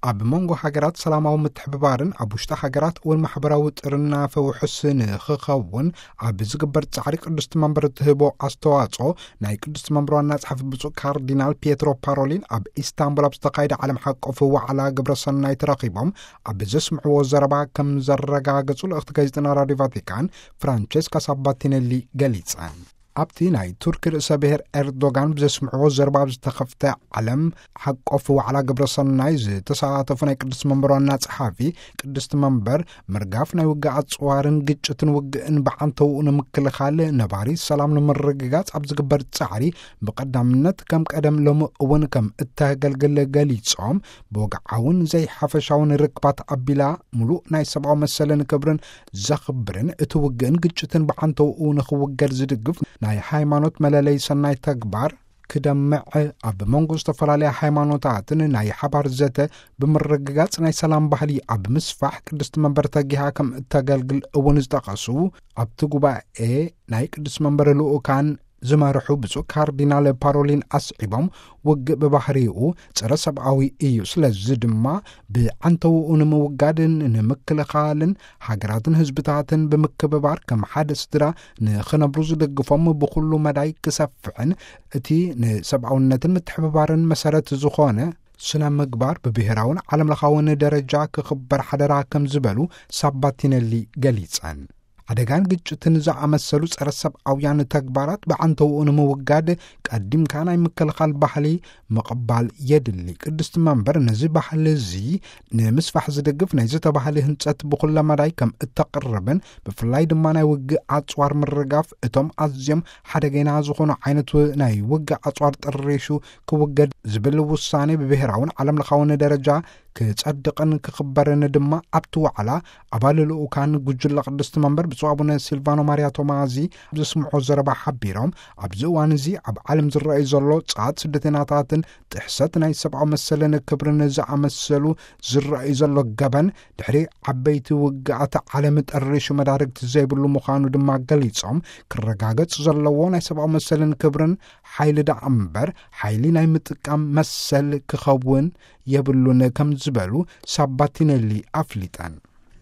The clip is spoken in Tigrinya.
ኣብ መንጎ ሃገራት ሰላማዊ ምትሕብባርን ኣብ ውሽጢ ሃገራት እውን ማሕበራዊ ጥርናፈ ውሑስ ንኽኸውን ኣብ ዝግበር ጻዕሪ ቅድስቲ መንበር እትህቦ ኣስተዋጽኦ ናይ ቅድስቲ መንበር ዋና ጸሓፊ ብፁዕ ካርዲናል ፒየትሮ ፓሮሊን ኣብ ኢስታንቡል ኣብ ዝተኻየደ ዓለም ሓቆፍ ዋዕላ ግብረ ሰናይ ተረኺቦም ኣብ ዘስምዕዎ ዘረባ ከም ዘረጋገጹ ልእኽቲ ጋዜጠና ራዲዮ ቫቲካን ፍራንቸስካ ሳባቲነሊ ገሊጸን። ኣብቲ ናይ ቱርኪ ርእሰ ብሔር ኤርዶጋን ብዘስምዕዎ ዘረባ ኣብ ዝተኸፍተ ዓለም ሓቆፍ ዋዕላ ግብረ ሰናይ ዝተሳተፉ ናይ ቅድስቲ መንበር ዋና ጸሓፊ ቅድስቲ መንበር ምርጋፍ ናይ ውግእ ኣጽዋርን ግጭትን ውግእን ብዓንተውኡ ንምክልኻል ነባሪ ሰላም ንምርግጋጽ ኣብ ዝግበር ጻዕሪ ብቐዳምነት ከም ቀደም ሎሚ እውን ከም እተገልግል ገሊጾም ብወግዓውን ዘይሓፈሻውን ርክባት ኣቢላ ምሉእ ናይ ሰብኣዊ መሰልን ክብርን ዘኽብርን እቲ ውግእን ግጭትን ብዓንተውኡ ንኽውገድ ዝድግፍ ናይ ሃይማኖት መለለይ ሰናይ ተግባር ክደምዕ ኣብ መንጎ ዝተፈላለያ ሃይማኖታትን ናይ ሓባር ዘተ ብምርግጋጽ ናይ ሰላም ባህሊ ኣብ ምስፋሕ ቅድስቲ መንበር ተጊሃ ከም እተገልግል እውን ዝጠቐሱ ኣብቲ ጉባኤ ናይ ቅድስቲ መንበር ልኡካን ዝመርሑ ብፁዕ ካርዲናል ፓሮሊን ኣስዒቦም ውግእ ብባህሪኡ ጸረ ሰብኣዊ እዩ። ስለዚ ድማ ብዓንተውኡ ንምውጋድን ንምክልኻልን ሃገራትን ህዝብታትን ብምክብባር ከም ሓደ ስድራ ንኽነብሩ ዝድግፎም ብኹሉ መዳይ ክሰፍሕን እቲ ንሰብኣውነትን ምትሕብባርን መሰረት ዝኾነ ስነ ምግባር ብብሔራውን ዓለምለኻውን ደረጃ ክኽበር ሓደራ ከም ዝበሉ ሳባቲነሊ ገሊጸን። ሓደጋን ግጭትን ዝኣመሰሉ ጸረ ሰብኣውያን ተግባራት ብዓንተውኡ ንምውጋድ ቀዲምካ ናይ ምክልኻል ባህሊ ምቕባል የድሊ። ቅድስቲ መንበር ነዚ ባህሊ እዚ ንምስፋሕ ዝድግፍ ናይ ዝተባህለ ህንጸት ብኹለ መዳይ ከም እተቕርብን ብፍላይ ድማ ናይ ውግእ ኣጽዋር ምርጋፍ እቶም ኣዝዮም ሓደገና ዝኾኑ ዓይነት ናይ ውግእ ኣጽዋር ጥሪሹ ክውገድ ዝብል ውሳኔ ብብሔራውን ዓለምለኻውን ደረጃ ክጸድቕን ክኽበርን ድማ ኣብቲ ዋዕላ ኣባል ልኡካን ጉጅለ ቅድስቲ መንበር ብፁዕ ኣቡነ ሲልቫኖ ማርያ ቶማዚ ኣብ ዘስምዖ ዘረባ ሓቢሮም ኣብዚ እዋን እዚ ኣብ ዓለም ዝረኣዩ ዘሎ ጻት ስደተናታትን ጥሕሰት ናይ ሰብኣዊ መሰልን ክብርን ዝኣመሰሉ ዝረኣዩ ዘሎ ገበን ድሕሪ ዓበይቲ ውግኣት ዓለም ጠሪሹ መዳርግቲ ዘይብሉ ምዃኑ ድማ ገሊጾም ክረጋገጽ ዘለዎ ናይ ሰብኣዊ መሰልን ክብርን ሓይሊ ደኣ እምበር ሓይሊ ናይ ምጥቃም መሰል ክኸውን የብሉን ከም ዝበሉ ሳባቲነሊ ኣፍሊጠን።